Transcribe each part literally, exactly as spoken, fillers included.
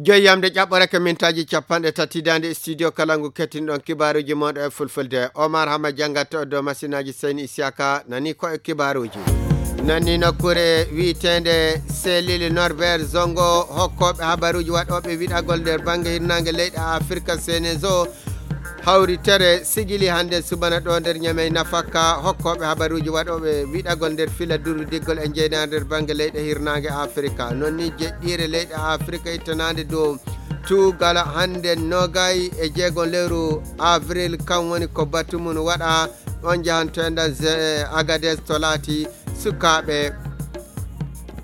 Joyi yamde ƴaɓɓorake mintaaji capanɗe tati daande studio kala ngu kettinɗon kibaaruuji mooɗo e fulfulde. Omar Hama janngat to dow masinaaji Seyni Isiyaka nani ko e kibaaruuji. Nani nokkuure wiyeteende Selil Norbert Zongo hokkooɓe habaruuji waɗooɓe wiɗagol nder bannge hirnaange leyɗe Afirka Senezo hawritere sigili hannde subana ɗo nder Ñamey nafakka hokkooɓe habaruuji waɗooɓe wiɗagol nder fila durwidiggol e jeynaare nder bannge leyɗe hirnaange Afirka. Non ni jeɗɗiire leyɗe Afirka ittanaande dow tuugal hannde noogay e jeegon lewru avril, kan woni ko batu mum waɗa. On njahanto enɗan Agades to laati sukaaɓe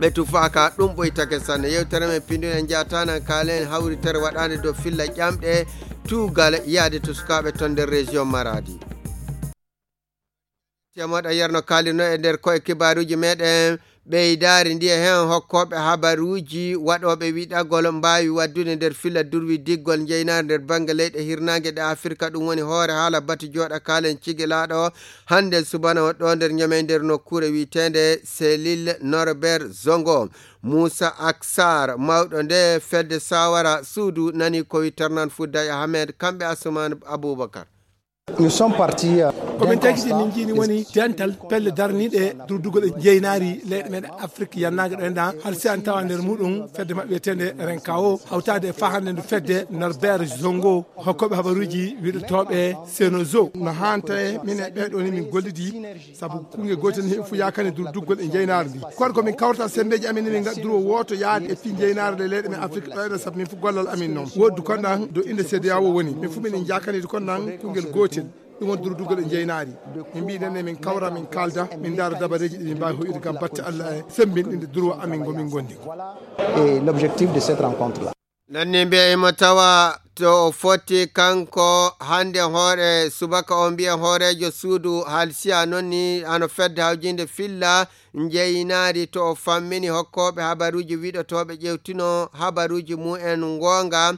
ɓe tufaaka, ɗum ɓoytake sanne. Yewtere men pinndun en njahata nan kaalen hawritere waɗaande dow filla ƴamɗe tuugal yaade to sukaaɓe ton nder région Maradi. Temoɗo yerno kaalino e nder koye kibaaruuji meɗen ɓeydaari ndi e heen hokkooɓe habaruuji waɗooɓe wiɗagol mbaawi waddude nder filla durwi diggol njeynaari nder bannge leyɗe hirnaange ɗe Afirka. Ɗum woni hoore haala batu jooɗa kaalen cigilaaɗo hannde subana o ɗo nder Ñamey nder nokkuure wiyeteende Selil Norbert Zongo. Muusa Aksar, mawɗo nde fedde Sawara Suudu, nani ko wi Ternan Fudday Ahmed, kamɓe Asuman Abubakar. Nous sommes partis, euh, ko ɓen tagiti min njiini woni dental pelle darniiɗe durdugal e jeynaari leyɗe meɗen Afrik yannaange ɗo enɗan, halsi an tawa nder muɗum fedde maɓɓe wiyeteende Renkawo, hawtaade e fahannde ndu fedde Norbert Zongo, hokkooɓe habaruuji wiɗotooɓe Senozo. No haanta e min e ɓeeɗo ni min gollidi, sabu kungel gootel ni fof yakani durdugal e jeynaari ndi. Kono ko min kawrata sembeeji amin ni min ngaɗa duro wooto yaade e fii jeynaari le leyɗe men Afrik ɗo enɗan, sabu min fof gollal amin noon. Woddu kon ɗan do inde C D A O woni. Min fof min jakani kon ɗan kungel gootel. Ɗum woni durdugal e jeynaari. Min mbii nen ne min kawra, min kaalda, min ndaara dabareeji ɗi min mbaawi hoyɗude ngam batte Allah e semmbinɗinde durwa amin ngo min ngondi. Et l'objectif de cette rencontre-là. Nanni mbiya imo tawa to o foti kanko hannde hoore subaka o mbiya hooreejo suudu halsiya noon ni ano fedde hawjinde filla njeynaari to o fammini hokkooɓe habaruuji wiɗotooɓe ƴewtino habaruuji mumen ngoonga.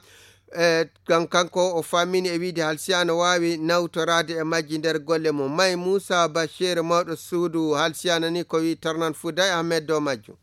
E, kan-, kanko o fammini e wiide halsiya no waawi nawtoraade e majji nder golle mum. May Muusa Bachir mawɗo suudu halsiya nani ko wi Tarnan Fuday Ahmed dow majjum.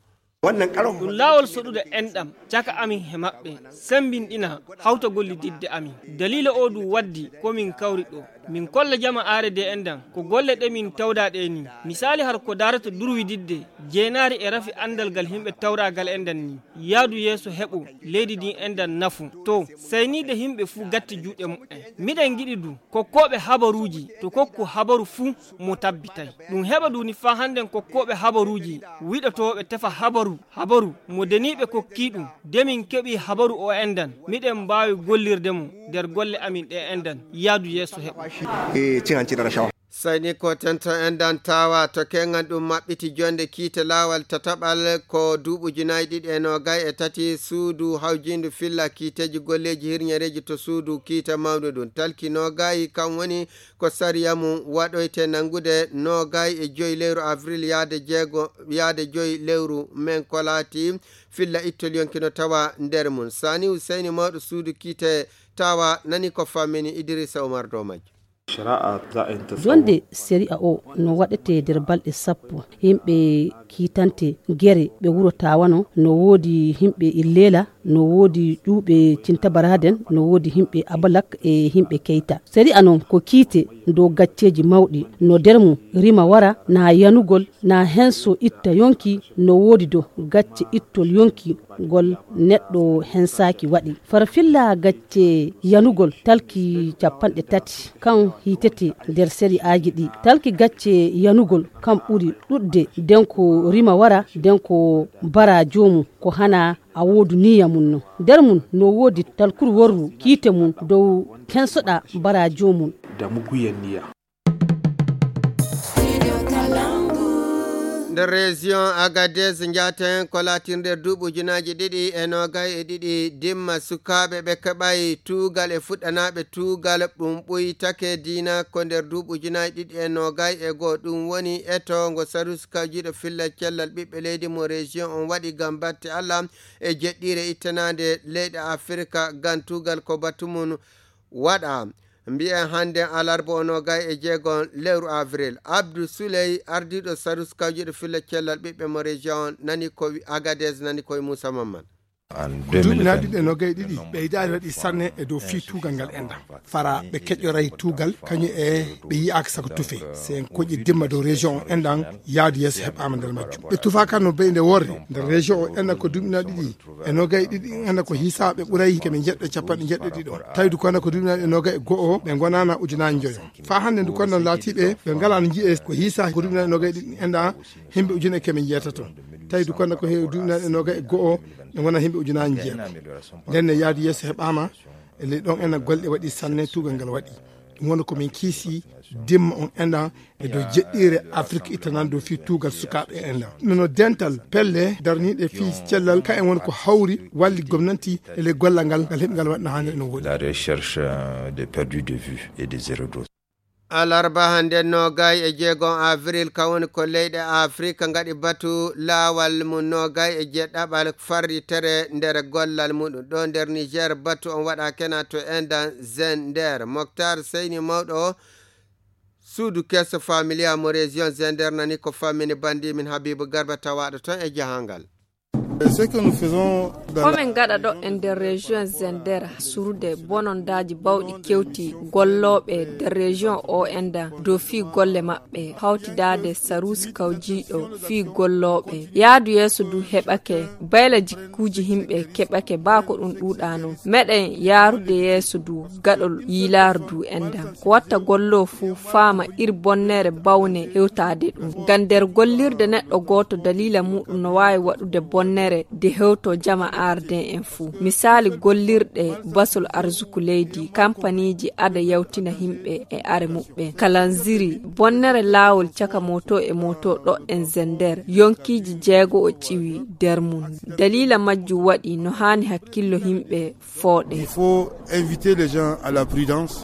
Ɗum laawol soɗude enɗam caka amin he maɓɓe, semmbinɗina hawta gollididde amin. Daliila oo du waddi ko min kawri ɗo. Min kolla jama aare de enɗam ko golle ɗe min tawda ɗe ni. Misaali har ko daarata durwididde jeenaari e rafi anndal gal yimɓe tawraagal enɗam ni. Yaadu yeeso heɓo leydi ndin enɗam nafu. To, sayniide yimɓe fuu gatti juuɗe muɓɓen. Miɗen ngiɗi du kokkooɓe habaruuji to kokku habaru fuu mo tabbitay. Ɗum heɓa duni faa hannden kokkooɓe habaruuji wiɗotooɓe tefa habaru, habaru mo deniiɓe kokkii ɗum. De min keɓii habaru o enɗan, miɗen mbaawi gollirde mo nder golle amin ɗe enɗan. Yaadu yeeso heɓo. E, cingan ci dara cawa. Sayni ko tento enɗan tawa to kengan ɗum maɓɓiti jonde kiite laawal tataɓal ko duuɓuji nayi ɗiɗi e noogay e tati suudu hawjindu filla kiiteeji golleeji hirñereeji to suudu kiite mawndu ɗum. Talki noogay kan woni ko sariya mum waɗoyte nanngude noogay e joyi lewru avril yaade jeego, yaade joyi lewru men ko laati filla ittol yonki no tawa nder mum. Sani Huseyni mawɗo suudu kiite tawa nani ko fammini Idrissa Oumar dow majjo. Jonde sariya o no waɗete nder balɗe sappo. Yimɓe kiitante gere ɓe wuro Tawano, no woodi yimɓe Illela, no woodi ƴuuɓe Cintabaraden, no woodi yimɓe Abalak e yimɓe Keyta. Sariya non ko kiite dow gacceeji mawɗi, no nder mum rima wara, na yanugol, na henso itta yonki, no woodi dow gacce ittol yonki ngol neɗɗo hensaaki waɗi. Farfilla gacce yanugol talki capanɗe tati, kan hiitete nder sariyaaji ɗi. Talki gacce yanugol kan ɓuri ɗuɗde, nden ko rima wara, nden ko bara joomum, ko hana a woodu niyya mum non. Nder mum no woodi talkuru worru kiite mum dow kensoɗa bara joomum. Da muguyen niyya. Nder région Agadez njaaten ko laatirde duuɓi ujunaaji ɗiɗi e noogay e ɗiɗi dimma sukaaɓe ɓe keɓay tuugal e fuɗɗanaaɓe tuugal ɗum ɓuytake diina ko nder duuɓi ujunaaji ɗiɗi e noogay e goo. Ɗum woni eto ngo Sarus kawjiiɗo filla cellal ɓiɓɓe leydi mo région on waɗi ngam batte Allah e jeɗɗiire ittanaande leyɗe Afirka ngam tuugal ko batu mum waɗa. Mbiyen hannden alarba o noogay e jeego lewru avril. Abdou Souley, ardiiɗo Sarus kawjiiɗo filla cellal ɓiɓɓe mo région on, nani ko wi-, Agadez, nani ko e Moussa Mamman. Ko duuɓi naaɗi ɗiɗi e noogay ɗiɗi ɓeydaade waɗi sanne e dow fii tuugal ngal enɗan. Fara ɓe keƴoray tuugal kañum e ɓe yiyaaka sako tufe. Si en koƴi dimma dow région on enɗan, yaadu yeeso heɓaama nder majjum. Ɓe tufaaka no beyde worre nder région o enɗan ko duuɓi naaɗi ɗiɗi e noogay ɗiɗi enɗan ko hiisaa ɓe ɓuray keme njeɗɗo e capanɗe njeɗɗo ɗiɗo. Tawi du ko enɗan ko duuɓi naaɗi e noogay e go'o ɓe ngonaana ujunaaji njoyo. Faa hannde du ko enɗan laatiiɓe ɓe ngalaano ji'e ko hiisaa ko duuɓi naaɗi e noogay ɗiɗi enɗan himɓe ujune keme njeetato. Tawi du ko enɗan ko heewi duuɓi naaɗi e noogay e go'o ɓe ngona himɓe ujunaaji njeego. Nden ne yaadu yeeso heɓaama e ley ɗon enɗan golle waɗi sanne tuugal ngal waɗi. Ɗum woni ko min kiisi dimma on enɗan e dow jeɗɗiire Afrik ittanande dow fii tuugal sukaaɓe enɗan. Nono dental pelle darniiɗe fii cellal ka en woni ko hawri walli gomnanti e ley gollal ngal ngal heɓi ngal waɗna hannde no woɗi. La recherche, euh, des perdus de vue et des erreurs. Alarba hannde noogay e jeegom avril, ka woni ko leyɗe Afrik ngaɗi batu laawal mum noogay e jeɗɗaɓal farritere nder gollal muɗum. Ɗo nder Niger batu on waɗa kena to enɗan Zender. Moktar Seyni mawɗo suudu keso familia mo région Zender nani ko fammini bandi min Habibu Garba tawaɗo ton e jahangal. Ce que nous faisons dans la Komin gaɗa ɗo e nder région Zender, surude bonondaaji bawɗi kewti gollooɓe nder région o enɗan dow fii golle maɓɓe, hawtidaade saruusi kawjiiɗo fii gollooɓe. Yaadu yeeso du heɓake, bayla jikkuuji himɓe keɓake baa ko ɗum ɗuuɗaano. Meɗen yaarude yeeso du gaɗol yiilaardu enɗan. Ko watta golloo fuu faama ir bonnere bawne hewtaade ɗum. Ngam nder gollirde neɗɗo gooto daliila muɗum no waawi waɗude bonnere de hewto jama aarden en fuu. Misaali gollirɗe basol arsuku leydi, kampaniiji ada yawtina himɓe e are muɓɓen. Kalanziri, bonnere laawol caka moto e moto ɗo en Zender, yonkiiji jeego o ƴiwi nder mum. Daliila majjum waɗi no haani hakkillo himɓe fooɗe. Il faut inviter les gens à la prudence.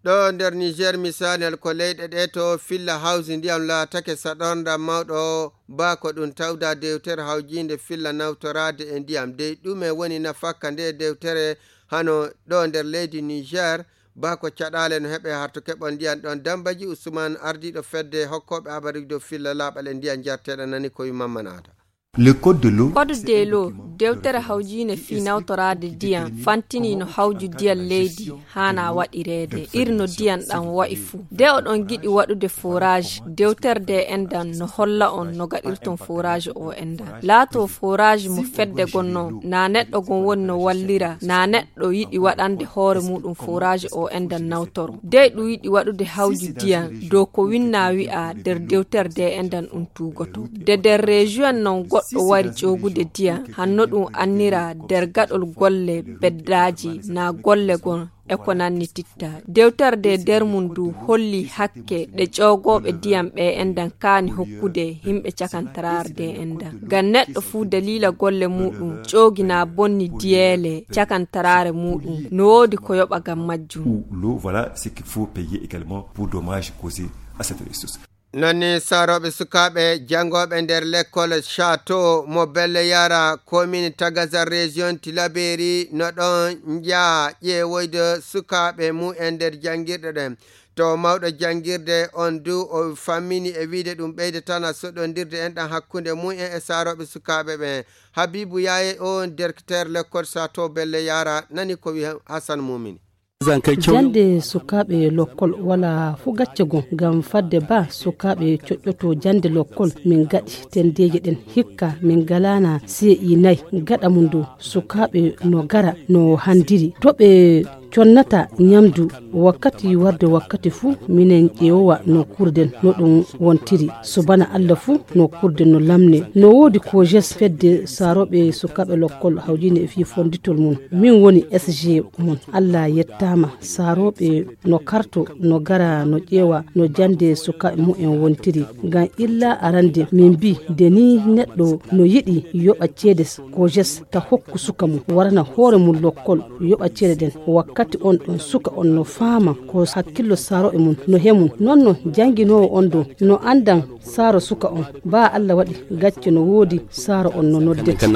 Ɗo nder Niger, misaali ko leyɗe ɗe to filla hawsi ndiyam laatake saɗornda mawɗo, baa ko ɗum tawda dewtere hawjiinde filla nawtoraade e ndiyam. Dey ɗume woni nafakka nde dewtere hano ɗo nder leydi Niger? Baa ko caɗaale no heɓe harto keɓol ndiyam ɗon. Dambaji Usman, ardiiɗo fedde hokkooɓe habaruuji dow filla laaɓal e ndiyam jarteeɗam nani ko wi Mamman Aada. Le code de l'eau. Code de l'eau, dewtere hawjiinde fii nawtoraade ndiyam, fantini no hawju ndiyam leydi haana waɗireede, ir no ndiyam ɗam wa'i fuu. De oɗon giɗi waɗude forage, dewtere de enɗan no holla on no gaɗirton forage o enɗan. Laato forage mo fedde gonno, na neɗɗo gon woni no wallira, na neɗɗo yiɗi waɗande hoore muɗum forage o enɗan nawtoro. Dey ɗum yiɗi waɗude hawju ndiyam dow ko winna wi'a nder dewtere de enɗan ɗum tuugoto. De nder région non goɗɗo wari ƴoogude ndiyam, hanno ɗum annira nder gaɗol golle beddaaji na golle gon e ko nanni titta. Dewtere de nder mum du holli hakke ɗe ƴoogooɓe ndiyam ɓe enɗan kaani hokkude yimɓe cakantaraare de enɗan. Ngam neɗɗo fuu daliila golle muɗum ƴoogi na bonni diyeele cakantaraare muɗum, no woodi ko yoɓa ngam majjum. Ou l'eau, voilà ce qu'il faut payer également pour dommages causés à cette ressource. Non ni saarooɓe sukaaɓe janngooɓe nder lekkol Château mo Belle Yara, commune Tagazar, région Tilaberi, no ɗon njaha ƴeewoyde sukaaɓe mumen nder janngirɗe ɗen. To mawɗo janngirde on du o fammini e wiide ɗum ɓeydataana soɗondirde enɗan hakkunde mumen e saarooɓe sukaaɓe ɓen. Habibu Yaaye on directeur lekkol Château Belle Yara nani ko wi Hassan Mumini. Jannde sukaaɓe lokkol wala fuu gacce gom, ngam fadde ba sukaaɓe coƴƴoto jannde lokkol, min gaɗi tenndeeje ɗen. Hikka min ngalaana C I nay. Gaɗa mum du sukaaɓe no ngara no hanndiri. To ɓe connata ñamdu wakkati warde wakkati fuu, minen ƴeewowa no kuurden no ɗum wontiri. So bana Alla fuu no kuurden no lamne. No woodi COJES, fedde saarooɓe sukaaɓe lokkol hawjiinde e fii fonnditol mum. Min woni S G mum. Alla yettaama, saarooɓe no karto, no ngara, no ƴeewa no jannde sukaaɓe mumen wontiri. Ngam illa arande min mbii, nde nii neɗɗo no yiɗi yoɓa ceede COJES ta hokku suka mum, warana hoore mum lokkol, yoɓa ceede ɗen. Wakkati on ɗon suka on no faama ko hakkillo saarooɓe mum no he mum. Non no jannginoowo on ɗon no anndan saaro suka on. Baa Alla waɗi gacce no woodi saaro on no noddete.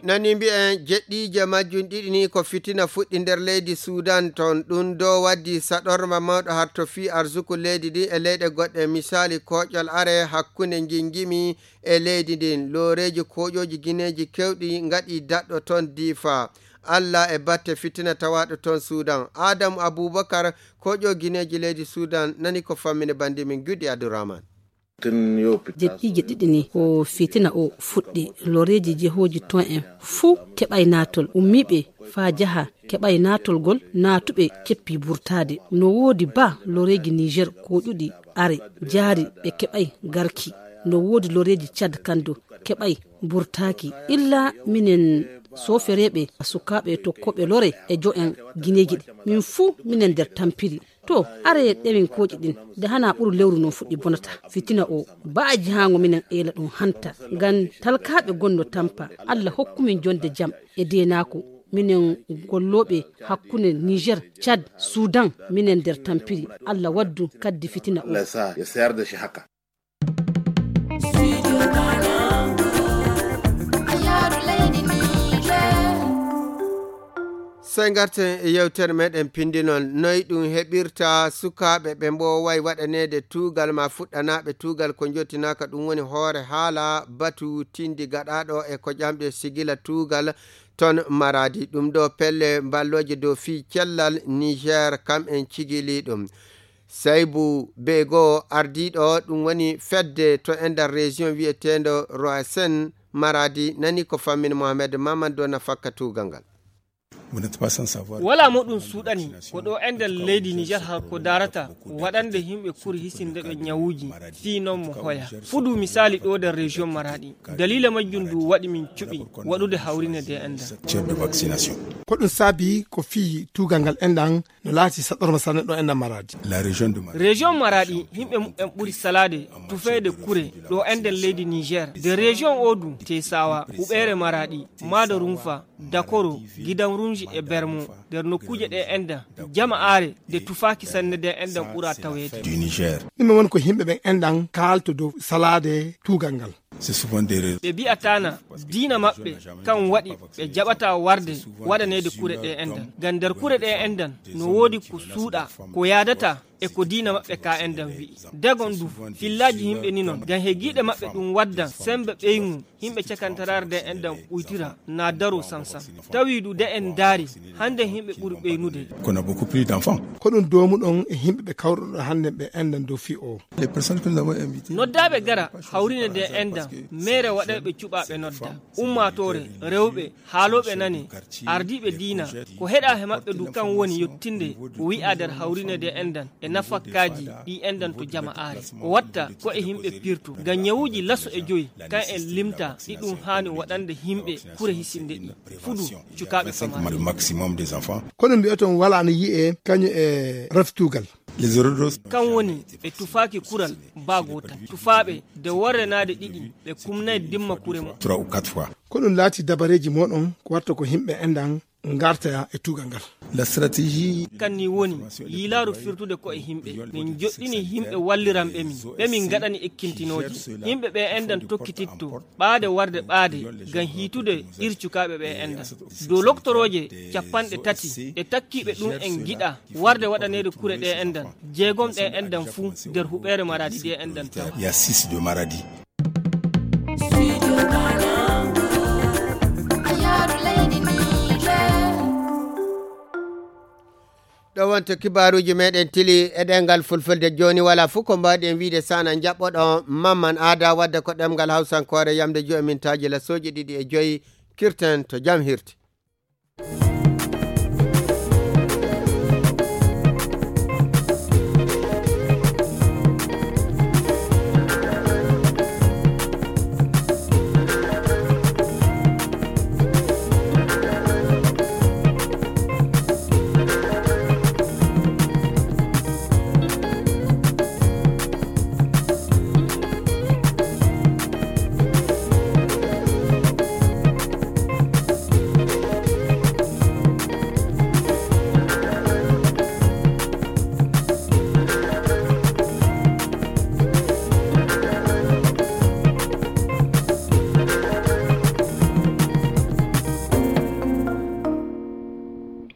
Nani mbiyen jeɗɗiije majjum ɗiɗi ni ko fitina fuɗɗi nder leydi Sudan ton. Ɗum ɗo waddi saɗorma mawɗo har to fii arsuku leydi ndi e leyɗe goɗɗe. Misaali, kooƴol are hakkunde njinjimi e leydi ndin. Looreeji kooƴooji gineeji kewɗi ngaɗi daɗɗo ton Difa. Allah e batte fitina tawaaɗo ton Sudan. Adamu Abubakar, kooƴo gineeji leydi Sudan, nani ko fammini bandi min Gudi Abdurrahman. Jeɗɗiije ɗiɗi ni ko fitina o fuɗɗi. Loreeji jehooji ton en fuu keɓay naatol. Ummiiɓe faa jaha keɓay naatolgol, naatuɓe keppi burtaade. No woodi ba loreeji Niger kooƴuɗi are jaari ɓe keɓay garki. No woodi loreeji Cad kando keɓay burtaaki. Illa minen soofereeɓe sukaaɓe tokkooɓe lore e jo en gineeji ɗi. Min fuu minen nder tampiri. To, aree ɗemin kooƴi ɗin, nde hana ɓuru lewru non fuɗɗi bonata. Fitina o, baaji haango minen eela ɗum hanta. Ngam talkaaɓe gonno tampa, Allah hokku min jonde jam e deenaako. Minen gollooɓe hakkunde Niger, Cad, Sudan, minen nder tampiri. Allah waddu kaddi fitina o. Sey ngarten e yewtere meɗen pindi noon, noy ɗum heɓirta sukaaɓe ɓe mbooway waɗaneede tuugal ma fuɗɗanaaɓe tuugal ko jottinaaka, ɗum woni hoore haala batu tindi gaɗaaɗo e ko ƴamɗe sigila tuugal ton Maradi. Ɗum ɗo pelle mballooje dow fii cellal Niger kam en cigili ɗum. Saybu Bego ardiiɗo ɗum woni fedde to e nder région wiyeteendo Roasen Maradi nani ko fammin Mohamed Mamadou na fakka tuugal ngal. Wala mo ɗum suuɗani ko ɗo enɗen leydi Niger haa ko darata waɗande yimɓe kuri hisinde ɓe ñawuuji fii noon mo hoya. Fudu misaali ɗo nder région Maradi. Dalila majjum ndu waɗi min cuɓi waɗude hawrine de enɗan. Ko ɗum saabi ko fii tuugal ngal enɗan no laati saɗorma sanne ɗo enɗan Maradi. Région Maradi yimɓe muɓɓen ɓuri salaade tufeede kure ɗo enɗen leydi Niger. De région o du Tesawa, Huɓeere Maradi, Maada Rumfa, Dakoro, Gidan Rumji e Bermo. Nder nokkuuje ɗe enɗan jama aare de tufaaki sanne de enɗan ɓura taweede. Ɗum woni ko yimɓe ɓen enɗan kaalto dow salaade tuugal ngal. Ɓe bi'ataana diina maɓɓe kan waɗi ɓe jaɓata warde waɗaneede kure ɗe enɗan. Ngam nder kure ɗe enɗan no woodi ko suuɗa ko yaadata e ko diina maɓɓe ka enɗan wi'i. Dagon du fillaaji yimɓe ni non ngam he giiɗe maɓɓe ɗum waddan sembe ɓeyŋu. Yimɓe cakantaraare de enɗan ɓuytira na daro sansan. Tawi du de en ndaari hande yimɓe ɓuri ɓeynude. Ko ɗum doomuɗon e yimɓe ɓe kawruɗon hande ɓe enɗan dow fii o. Noddaaɓe gara hawrine de enɗan meere waɗayɓe cuɓaaɓe nodda. Ummaatoore, rewɓe, haalooɓe nane, ardiiɓe diina, ko heɗa he maɓɓe du kan woni yottinde ko wi'a nder hawrine de enɗan e nafakkaaji ɗi enɗan to jama aare. O watta ko e yimɓe pirtu ngam ñawuuji laso e joyi kan en limta ɗi ɗum haani waɗande yimɓe kure hisinde ɗi. Fudu cukaaɓe samari. Ko ɗum mbi'oton wala no yi'e kañum e reftugal. Kan woni ɓe tufaaki kural baa goota. Tufaaɓe de worrenaade ɗiɗi ɓe kumnay dimma kure mo. Ko ɗum laati dabareeji moɗon ko watta ko yimɓe enɗan ngarta e tuugal ngal. Kan ni woni yiilaaru firtude ko e yimɓe. Min joɗɗini yimɓe walliranɓe min ɓe min ngaɗani ekkintinooji. Yimɓe ɓe enɗan tokkititto ɓaade warde ɓaade ngam hiitude ir cukaaɓe ɓe enɗan. Dow loktorooje capanɗe tati e takkiiɓe ɗum en ngiɗa warde waɗaneede kure ɗe enɗan. Jeegom ɗe enɗan fuu nder huɓeere Maradi de enɗan tawa. Ɗo wonto kibaaruuji meɗen tili e ɗengal fulfulde. Jooni wala fuu ko mbaawɗen wiide sana njaɓɓoɗo Mamman Aada wadde ko ɗemngal Hawsankoore yamde joyi mintaaji lasooji ɗiɗi e joyi. Kirten to jam hirti.